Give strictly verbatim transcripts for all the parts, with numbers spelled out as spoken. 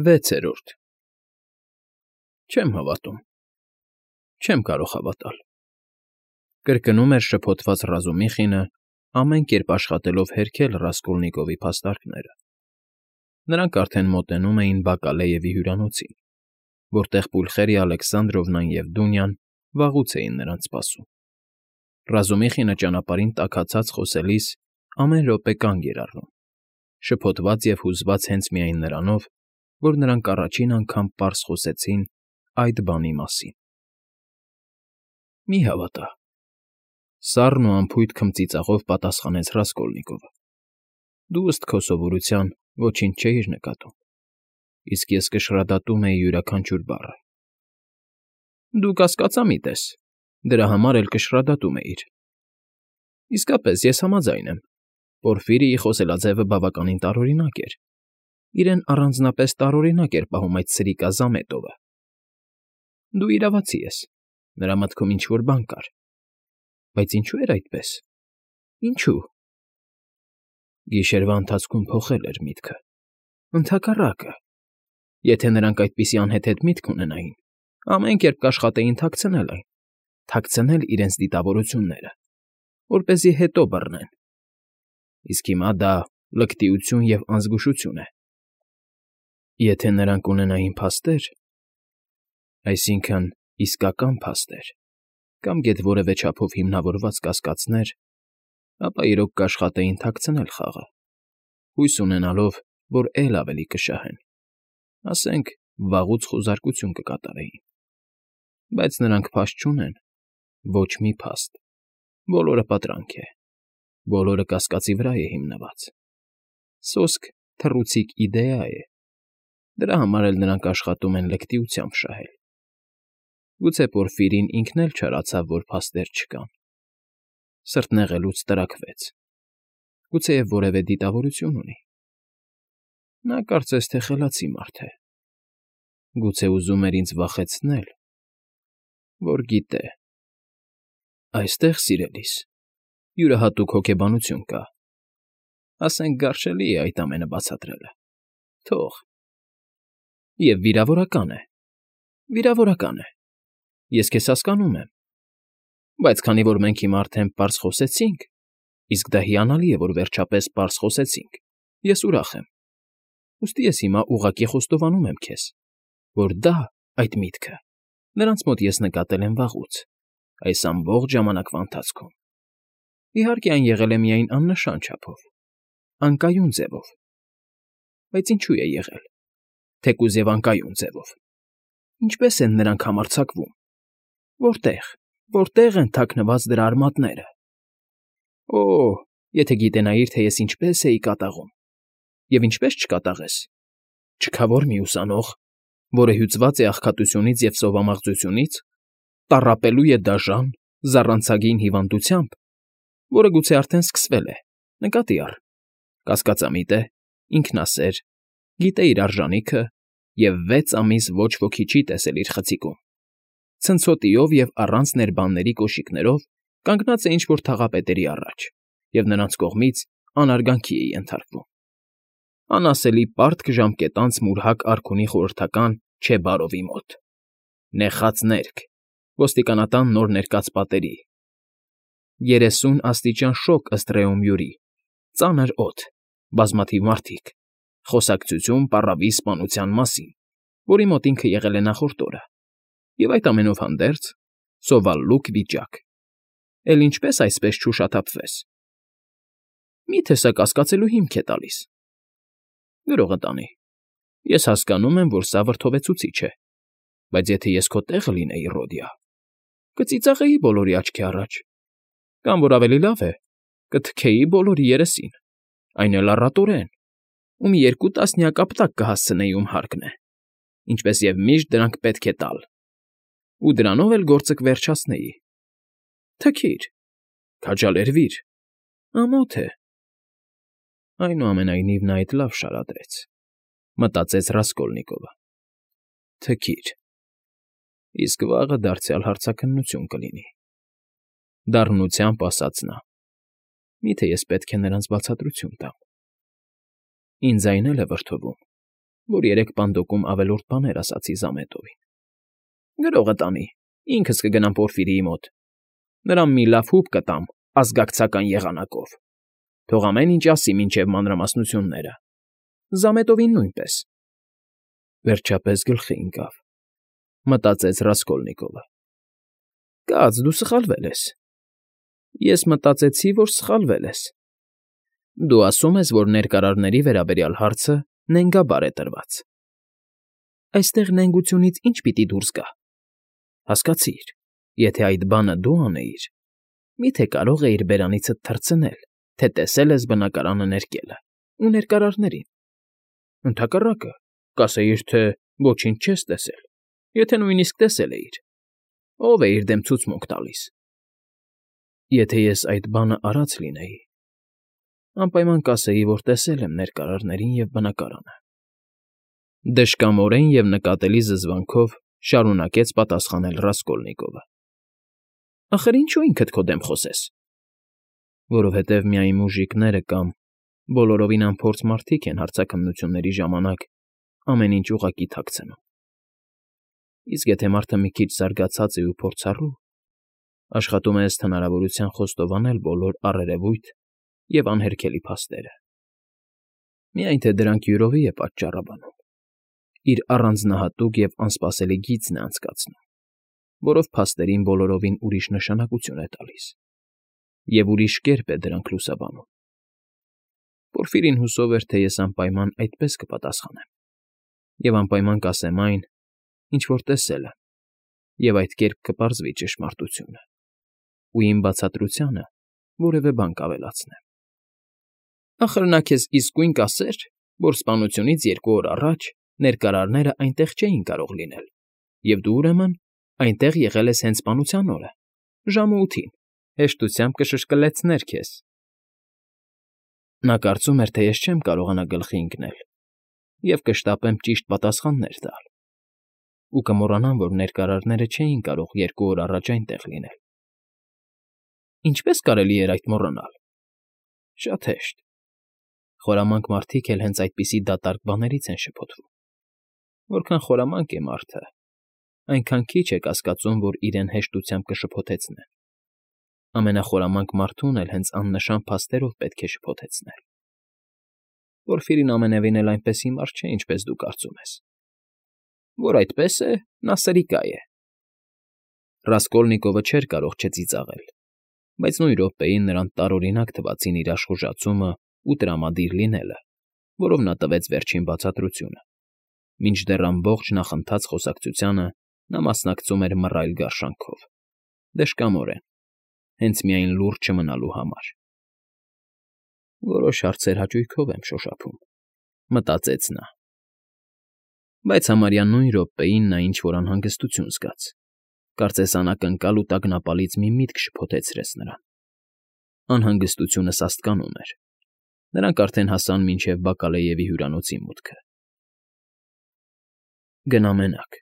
Վեցերորդ Չեմ հավատում, չեմ կարող հավատալ,֊ կրկնում էր շփոթված Ռազումիխինը, ամեն կերպ աշխատելով հերքել Ռասկոլնիկովի փաստարկները. նրանք արդեն մոտենում էին Բակալեևի հյուրանոցին, որտեղ Պուլխերիա Ալեքսանդրովնան և Դունյան վաղուց էին նրանց սպասում։ Ռազումիխինը ճանապարհին տաքացած խոսելիս ամեն րոպե կանգ էր առնում, շփոթված և հուզված հենց միայն նրանով, որ նրանք առաջին անգամ պարզ խոսեցին այդ բանի մասին։ Մի՛ հավատա,֊ սառն ու անփույթ քմծիծաղով պատասխանեց Ռասկոլնիկովը։֊ Դու, ըստ քո սովորության, ոչինչ չէիր նկատում, իսկ ես կշռադատում էի յուրաքանչյուր բառը։ Դու կասկածամիտ ես, դրա համար էլ կշռադատում էիր։ Իսկապես, ես համաձայն եմ, Պորֆիրիի խոսելաձևը բավականին տարօրինակ էր, իրեն առանձնապես տարօրինակ էր պահում այդ սրիկա Զամետովը։ Դու իրավացի ես, նրա մտքում ինչ֊որ բան կար, բայց ինչո՞ւ էր այդպես, ինչո՞ւ։ Գիշերվա ընթացքում փոխել էր միտքը, ընդհակառակը, եթե նրանք այդպիսի անհեթեթ միտք ունենային, ամեն կերպ կաշխատեին թաքցնել այն, թաքցնել իրենց դիտավորությունները, որպեսզի հետո բռնեն։ Իսկ հիմա դա լկտիություն և անզգուշություն է։ Եթե նրանք ունենային փաստեր, այսինքն՝ իսկական փաստեր, կամ գեթ որևէ չափով հիմնավորված կասկածներ, ապա իրոք կաշխատեին թաքցնել խաղը, հույս ունենալով, որ էլ ավելի կշահեն, ասենք, վաղուց խուզարկություն կկատարեին։ Բայց նրանք փաստ չունեն, ոչ մի փաստ, բոլորը պատրանք է, բոլորը կասկածի վրա է հիմնված։ Սոսկ թռուցիկ իդեա է, դրա համար էլ նրանք աշխատում են լկտիությամբ շահել։ Գուցե Պորֆիրին ինքն էլ չարացավ, որ փաստեր չկան, սրտնեղելուց տրաքվեց, գուցեև որևէ դիտավորություն ունի։ Նա կարծես թե խելացի մարդ է, գուցե ուզում էր ինձ վախեցնել, որ գիտե։ Այստեղ, սիրելիս, յուրահատուկ հոգեբանություն կա, ասենք գարշելի է այդ ամենը բացատրելը, թող։ Եվ վիրավորական է, վիրավորական է, ես քեզ հասկանում եմ, բայց քանի որ մենք հիմա արդեն պարզ խոսեցինք, իսկ դա հիանալի է, որ վերջապես պարզ խոսեցինք, ես ուրախ եմ, ուստի ես հիմա ուղղակի խոստովանում եմ քեզ, որ դա, այդ միտքը, նրանց մոտ ես նկատել եմ վաղուց, այս ամբողջ ժամանակվա ընթացքում։ Իհարկե, այն եղել է միայն աննշան չափով, անկայուն ձևով, բայց ինչու է եղել, թեկուզ և անկայուն ձևով։ Ինչպե՞ս են նրանք համարձակվում, որտե՞ղ, որտե՞ղ են թաքնված դրա արմատները։ Օ՜, եթե գիտենայիր, թե ես ինչպես էի կատաղում, և ինչպես չկատաղես, չքավոր մի ուսանող, որը հյուծված է աղքատությունից և սովամաղձությունից, տառապելու է դաժան, զառանցագին հիվանդությամբ, որը գուցե արդեն սկսվել է, նկատի առ, կասկածամիտ է, ինքնասեր, գիտե իր արժանիքը և վեց ամիս ոչ ոքի չի տեսել իր խցիկում, ցնցոտիով և առանց ներբանների կոշիկներով կանգնած է ինչ֊որ թաղապետերի առաջ և նրանց կողմից անարգանքի է ենթարկվում։ Անասելի պարտք ժամկետանց մուրհակ արքունի խորհրդական Չեբարովի մոտ, նեխած ներք, ոստիկանատան նոր ներկած պատերի, երեսուն աստիճան շոգ ըստ Ռեոմյուրի, ծանր օդ, բազմաթիվ մարդիկ, խոսակցություն պառավի սպանության մասին, որի մոտ ինքը եղել է նախորդ օրը, և այդ ամենով հանդերձ, սովալլուկ վիճակ, էլ ինչպես այսպես չուշաթափվես։ Մի՞թե սա կասկածելու հիմք է տալիս։ Գրողը տանի, ես հասկանում եմ, որ սա վրդովեցուցիչ է, բայց եթե ես քո տեղը լինեի, Ռոդիա, կծիծաղեի բոլորի աչքի առաջ, կամ, որ ավելի լավ է, կթքեի բոլորի երեսին, այն էլ առատորեն, ու մի երկու տասնյակ ապտակ կհասցնեի, ում հարկն է, ինչպես և միշտ դրանք պետք է տալ, ու դրանով էլ գործը կվերջացնեի։ Թքիր, քաջալերվիր, ամոթ է։ Այնուամենայնիվ նա այդ լավ շարադրեց, մտածեց Ռասկոլնիկովը։ Թքիր, իսկ վաղը դարձյալ հարցաքննություն կլինի։ Դառնությամբ ասաց նա. Միթե ես պետք է նրանց բացատրություն տամ։ Ինձ այն էլ է վրդովում, որ երեք պանդոկում ավելորդ բաներ ասացի Զամետովին։ Գրողը տանի, ինքս կգնամ Պորֆիրիի մոտ, նրան մի լավ հուպ կտամ ազգակցական եղանակով, թող ամեն ինչ ասի մինչև մանրամասնությունները, Զամետովին նույնպես։ Վերջապես գլխի ընկավ, մտածեց Ռասկոլնիկովը։ Կաց, դու սխալվել ես։ Ես մտածեցի, որ սխալվել ես։ Դու ասում ես, որ ներկարարների վերաբերյալ հարցը նենգաբար է տրված։ Այստեղ նենգությունից ինչ պիտի դուրս գա։ Հասկացիր, եթե այդ բանը դու անեիր, միթե կարող էիր բերանիցդ թռցնել, թե տեսել ես բնակարանը ներկելը ու ներկարարներին։ Ընդհակառակը, կասեիր, թե ոչինչ չես տեսել, եթե նույնիսկ տեսել էիր, ով է իր դեմ ցուցմունք տալիս։ Եթե ես այդ բանը արած լինեի, անպայման կասեի, որ տեսել եմ ներկարարներին և բնակարանը։ Դժկամորեն և նկատելի զզվանքով շարունակեց պատասխանել Ռասկոլնիկովը։ Ախր ինչու ինքդ քո դեմ խոսես։ Որովհետև միայն մուժիկները կամ բոլորովին անփորձ մարդիկ են հարցաքննությունների ժամանակ ամեն ինչ ուղղակի թաքցնում։ Իսկ եթե մարդը մի քիչ զարգացած է ու փորձառու, աշխատում է ըստ հնարավորության խոստովանել բոլոր առերևույթ և անհերքելի փաստերը։ Միայն թե դրանք յուրովի է պատճառաբանում, իր առանձնահատուկ և անսպասելի գիծն է անցկացնում, որով փաստերին բոլորովին ուրիշ նշանակություն է տալիս, և ուրիշ կերպ է դրանք լուսաբանում։ Պորֆիրին հուսով էր, թե ես անպայման այդպես կպատասխանեմ, և անպայման կասեմ այն, ինչ որ տեսել եմ, և այդ կերպ կպարզվի ճշմարտությունը, ու իմ բացատրությանը որևէ բան կավելացնեմ։ Ախր նա քեզ իսկույն կասեր, որ սպանությունից երկու օր առաջ ներկարարները այնտեղ չէին կարող լինել, և դու, ուրեմն, այնտեղ եղել ես հենց սպանության օրը, ժամը ութին, հեշտությամբ կշշկլեցներ քեզ։ Նա կարծում էր, թե ես չեմ կարողանա գլխի ընկնել և կշտապեմ ճիշտ պատասխաններ տալ, ու կմոռանամ, որ ներկարարները չէին կարող երկու օր առաջ այնտեղ լինել։ Ինչպե՞ս կարելի էր այդ մոռանալ։ Շատ հեշտ։ Խորամանկ մարդիկ էլ հենց այդպիսի դատարկ բաներից են շփոթվում։ Որքան խորամանկ է մարդը, այնքան քիչ է կասկածում, որ իրեն հեշտությամբ կշփոթեցնեն։ Ամենախորամանկ մարդուն էլ հենց աննշան փաստերով պետք է շփոթեցնել։ Պորֆիրին ամենևին էլ այնպես հիմար չէ, ինչպես դու կարծում ես։ Որ այդպես է, նա սրիկա է։ Ռասկոլնիկովը չէր կարող չծիծաղել, բայց նույն րոպեին նրան տարօրինակ թվացին իր աշխուժացումը ու տրամադիր լինելը, որով նա տվեց վերջին բացատրությունը, մինչդեռ ամբողջ նախընթաց խոսակցությանը նա մասնակցում էր մռայլ գարշանքով, դժկամորեն, հենց միայն լուռ չմնալու համար։ Որոշ հարցեր հաճույքով եմ շոշափում, մտածեց նա։ Բայց համարյա նույն րոպեին նա ինչ֊որ անհանգստություն զգաց, կարծես անակնկալ ու տագնապալից մի միտք շփոթեցրեց նրան։ Անհանգստությունը սաստկանում էր։ Նրանք արդեն հասան մինչև Բակալեևի հյուրանոցի մուտքը։ Գնա մենակ,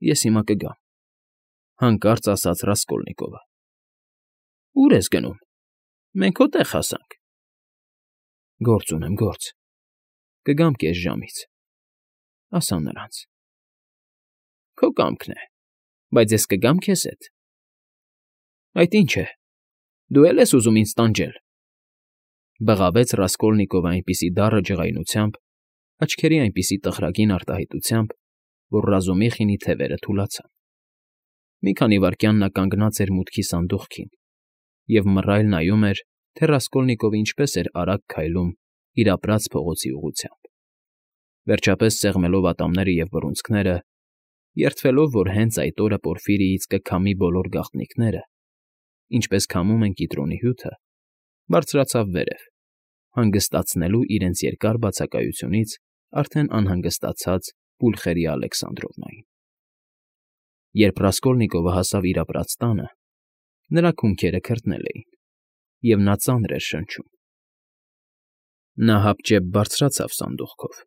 ես հիմա կգամ, հանկարծ ասաց Ռասկոլնիկովը։ Ո՞ւր ես գնում։ Մենք հո տեղ հասանք։ Գործ ունեմ, գործ։ Կգամ կես ժամից, ասա նրանց։ Քո կամքն է, բայց ես կգամ քեզ հետ։ Այդ ինչ է, դու է՞լ ես ուզում ինձ տանջել։ Բղավեց Ռասկոլնիկովը այնպիսի դառը ջղայնությամբ, աչքերի այնպիսի տխրագին արտահայտությամբ, որ Ռազումիխինի թևերը թուլացան։ Մի քանի վայրկյան նա կանգնած էր մուտքի սանդուղքին և մռայլ նայում էր, թե Ռասկոլնիկովը ինչպես էր արագ քայլում իր ապրած փողոցի ուղղությամբ։ Վերջապես սեղմելով ատամները և բռունցքները, երդվելով, որ հենց այդ օրը Պորֆիրիից կքամի բոլոր գաղտնիքները, ինչպես քամում են կիտրոնի հյութը, բարձրացավ վերև, հանգստացնելու իրենց երկար բացակայությունից արդեն անհանգստացած Պուլխերիա Ալեքսանդրովնային։ Երբ Ռասկոլնիկովը հասավ իր ապրած տանը, նրա քունքերը քրտնել էին, և նա ծանր էր շնչում։ Նա հապճեպ բարձրացավ սանդուղքով,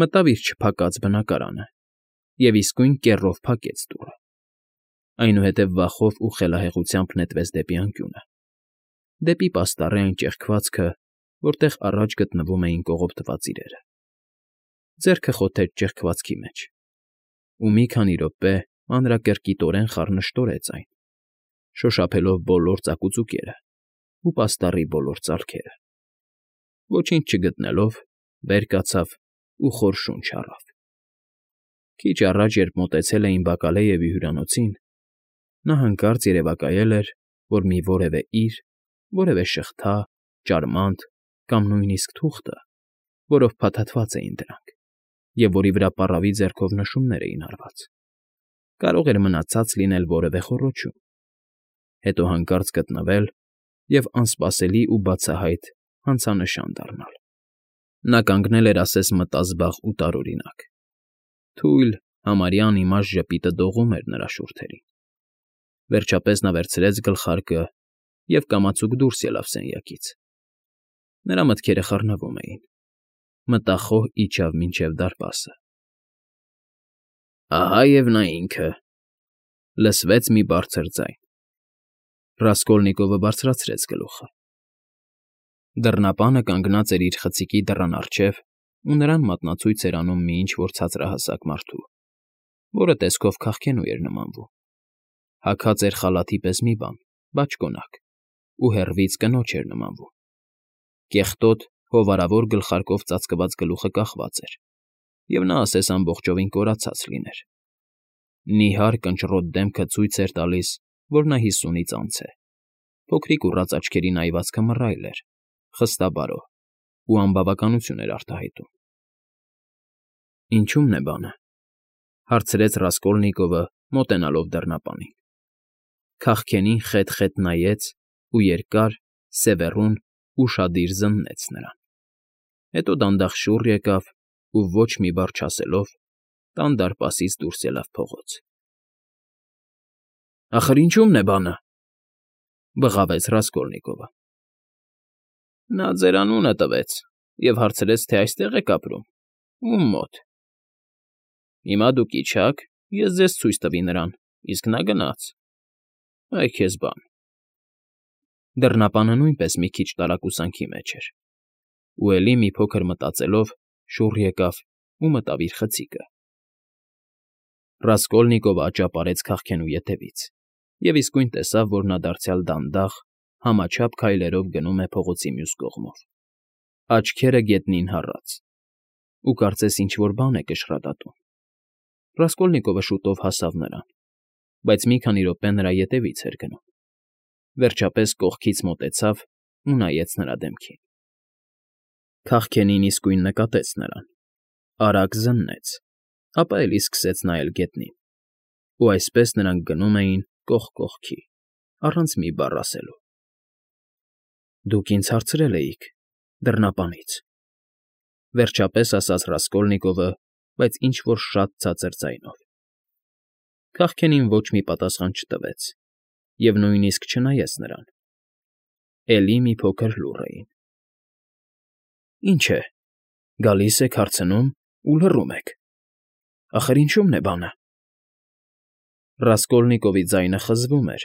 մտավ իր չփակած բնակարանը և իսկույն կեռով փակեց դուռը, այնուհետև վախով ու խելահեղությամբ նետվեց դեպի անկյունը, դեպի պաստառի այն ճեղքվածքը, որտեղ առաջ գտնվում էին կողոպտված իրերը։ ձեռքը խոթեց ճեղքվածքի մեջ, ու մի քանի րոպե մանրակրկիտորեն խառնշտորեց այն, շոշափելով բոլոր ծակուծուկերը ու պաստառի բոլոր ծալքերը։ Ոչինչ չգտնելով, վեր կացավ ու խոր շունչ առավ։ Քիչ առաջ, երբ մոտեցել էին Բակալեևի հյուրանոցին, նա հանկարծ երևակայել էր, որ մի որևէ իր, որևէ շղթա, ճարմանտ կամ նույնիսկ թուղթը, որով փաթաթված էին դրանք, և որի վրա պառավի ձեռքով նշումներ էին արված, կարող էր մնացած լինել որևէ խոռոչում, հետո հանկարծ գտնվել և անսպասելի ու բացահայտ հանցանշան դառնալ։ Նա կանգնել էր ասես մտազբաղ ու տարօրինակ։ Թույլ, համարյա անիմաստ ժպիտը դողում էր նրա շուրթերին։ Վերջապես նա վերցրեց գլխարկը և կամացուկ դուրս ելավ սենյակից։ Նրա մտքերը խառնվում էին, մտախոհ իջավ մինչև դարպասը։ «Ահա և նա ինքը», ֊ լսվեց մի բարձր ձայն։ Ռասկոլնիկովը բարձրացրեց գլուխը։ Դռնապանը կանգնած էր իր խցիկի դռան առջև ու նրան մատնացույց էր անում մի ինչ֊որ ցածրահասակ մարդու, որը տեսքով քաղքենու էր նմանվում։ Հագած էր խալաթի պես մի բան, բաճկոնակ, ու հեռվից կնոջ էր նմանվում։ Կեղտոտ, հովանավոր գլխարկով ծածկված գլուխը կախված էր, և նա ասես ամբողջովին կորացած լիներ։ Նիհար, կնճռոտ դեմքը ցույց էր տալիս, որ նա հիսունից անց է։ Փոքրիկ ուռած աչքերի նայվածքը մռայլ էր, խստաբարո, ու անբավականություն էր արտահայտում։ ֊ Ինչո՞ւմն է բանը,֊ հարցրեց Ռասկոլնիկովը, մոտենալով դռնապանին։ Քաղքենին խետ֊խետ նայեց ու երկար, սևեռուն, ուշադիր զննեց նրան։ Հետո դանդաղ շուռ եկավ ու, ոչ մի բառ չասելով, տան դարպասից դուրս ելավ փողոց։ ֊ Ախր ինչո՞ւմն է բանը,֊ բղավեց Ռասկոլնիկովը։ ֊ Նա ձեր անունը տվեց և հարցրեց, թե այստե՞ղ եք ապրում, ում մոտ։ Հիմա դուք իջաք, ես ձեզ ցույց տվի նրան, իսկ նա գնաց։ Այ քեզ բան։ Դռնապանը նույնպես մի քիչ տարակուսանքի մեջ էր, ու էլի մի փոքր մտածելով՝ շուռ եկավ ու մտավ իր խցիկը։ Ռասկոլնիկովը աճապարեց քաղքենու ետևից և իսկույն տեսավ, որ նա դարձյալ դանդաղ, համաչափ քայլերով գնում է փողոցի մյուս կողմով, աչքերը գետնին հառած, ու կարծես ինչ֊որ բան է կշռադատում։ Ռասկոլնիկովը շուտով հասավ նրան, բայց մի քանի րոպե նրա ետևից էր գնում։ Վերջապես կողքից մոտեցավ ու նայեց նրա դեմքին։ Քաղքենին իսկույն նկատեց նրան, արագ զննեց, ապա էլի սկսեց նայել գետնին, ու այսպես նրանք գնում էին կողք կողքի, առանց մի բառ ասելու։ ֊ Դուք ինձ հարցրել էիք դռնապանից,֊ վերջապես ասաց Ռասկոլնիկովը, բայց ինչ֊որ շատ ցածր ձայնով։ Քաղքենին ոչ մի պատասխան չտվեց և նույնիսկ չնայեց նրան։ Էլի մի փոքր լուռ էին։ ֊ Ինչ է, գալիս եք, հարցնում ու լռում եք։ Ախր ինչո՞ւմն է բանը։ Ռասկոլնիկովի ձայնը խզվում էր,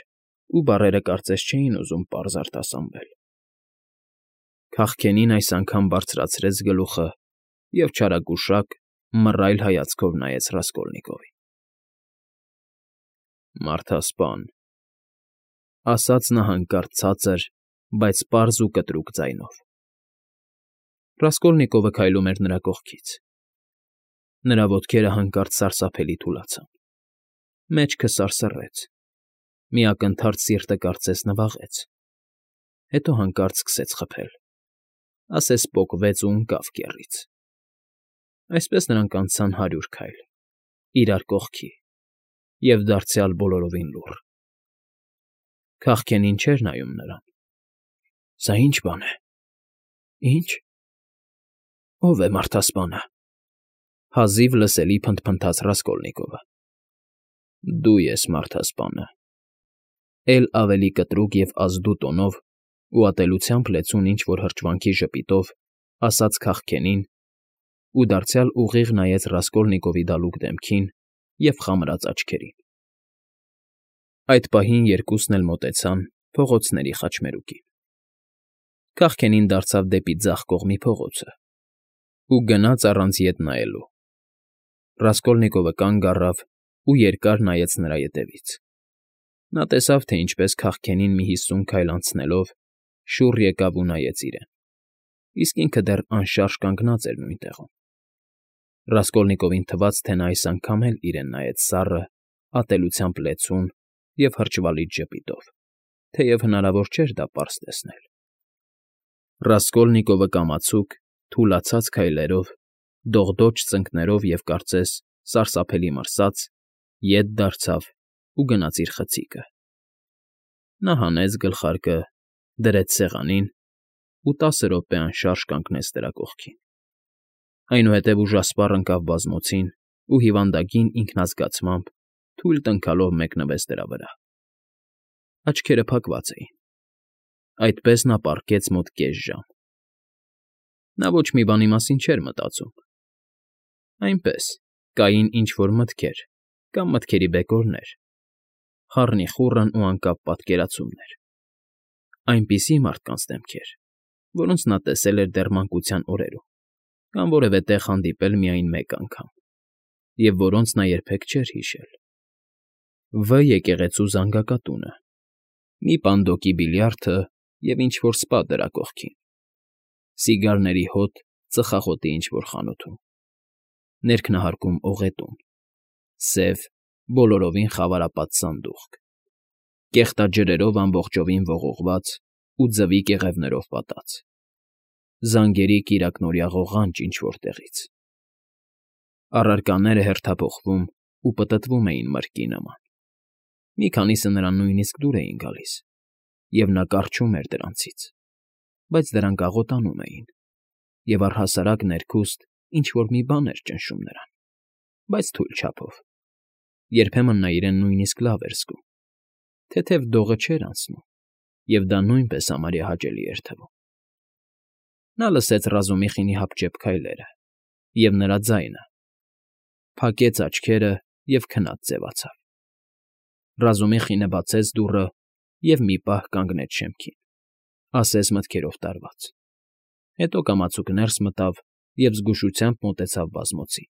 ու բառերը կարծես չէին ուզում պարզ արտասանվել։ Քաղքենին այս անգամ բարձրացրեց գլուխը և չարագուշակ, մռայլ հայացքով նայեց Ռասկոլնիկովին։ ֊ Մարդասպան,֊ ասաց նա հանկարծ ցածր, բայց պարզ ու կտրուկ ձայնով։ Ռասկոլնիկովը քայլում էր նրա կողքից։ Նրա ոտքերը հանկարծ սարսափելի թուլացան։ Մեջքը սարսռեց, մի ակնթարթ սիրտը կարծես նվաղեց, հետո հանկարծ սկսեց խփել, ասես պոկվեց ու ընկավ կեռից։ Այսպես նրանք անցան հարյուր քայլ, իրար կողքի, և դարձյալ բոլորովին լուռ։ Քաղքենին չէր նայում նրան։ Սա ի՞նչ բան է։ Ի՞նչ։ Ո՞վ է մարդասպանը,֊ հազիվ լսելի փնթփնթաց Ռասկոլնիկովը։ Դու ես մարդասպանը,֊ էլ ավելի կտրուկ և ազդու տոնով ու ատելությամբ լեցուն ինչ֊որ հրճվանքի ժպիտով ասաց քաղքենին ու դարձյալ ուղիղ նայեց Ռասկոլնիկովի դալուկ դեմքին և խամրած աչքերին։ Այդ պահին երկուսն էլ մոտեցան ու գնաց առանց ետ նայելու։ Ռասկոլնիկովը կանգ առավ ու երկար նայեց նրա ետևից։ Նա տեսավ, թե ինչպես քաղքենին մի հիսուն քայլ անցնելով շուռ եկավ ու նայեց իրեն, իսկ ինքը դեռ անշարժ կանգնած էր նույն տեղում։ Ռասկոլնիկովին թվաց, թե նա այս անգամ էլ իրեն նայեց սառը, ատելությամբ լեցուն և հրճվալից ժպիտով, թեև հնարավոր չէր դա պարզ տեսնել։ Ռասկոլնիկովը կամացուկ, թուլացած քայլերով, դողդոջ ծնկներով և, կարծես, սարսափելի մրսած, ետ դարձավ ու գնաց իր խցիկը։ Նա հանեց գլխարկը, դրեց սեղանին ու տասը րոպե անշարժ կանգնեց դրա կողքին։ Այնուհետև ուժասպառ ընկավ բազմոցին ու հիվանդագին ինքնազգացմամբ թույլ տնքալով մեկնվեց դրա վրա։ Աչքերը փակված էին։ Այդպես նա պառկեց մոտ կես ժամ։ Նա ոչ մի բանի մասին չէր մտածում։ Այնպես, կային ինչ֊որ մտքեր կամ մտքերի բեկորներ, խառնիխուռն ու անկապ պատկերացումներ, այնպիսի մարդկանց դեմքեր, որոնց նա տեսել էր դեռ մանկության օրերում կամ որևէ տեղ հանդիպել միայն մեկ անգամ, և որոնց նա երբեք չէր հիշել. Վ եկեղեցու զանգակատունը, մի պանդոկի բիլիարդը և ինչ֊որ սպա դրա կողքին, սիգարների հոտ ծխախոտի ինչ֊որ խանութում, ներքնահարկում օղետուն, սև, բոլորովին խավարապատ սանդուղք, կեղտաջրերով ամբողջովին ողողված ու ձվի կեղևներով պատած, զանգերի կիրակնօրյա ղողանջ ինչ֊որ տեղից։ Առարկաները հերթափոխվում ու պտտվում էին մրրկի նման, մի քանիսը նրան նույնիսկ դուր էին գալիս, և նա կառչում էր դրանցից, բայց դրանք աղոտանում էին, և առհասարակ ներքուստ ինչ֊որ մի բան էր ճնշում նրան, բայց թույլ չափով, երբեմն նա իրեն նույնիսկ լավ էր զգում, թեթև դողը չէր անցնում, և դա նույնպես համարյա հաճելի էր թվում։ Նա լսեց Ռազումիխինի հապճեպ քայլերը և նրա ձայնը, փակեց աչքերը և քնած ձևացավ։ Ռազումիխինը բացեց դուռը և մի պահ կանգնեց շեմքին, ասես մտքերով տարված, հետո կամացուկ ներս մտավ և զգուշությամբ մոտեցավ բազմոցին։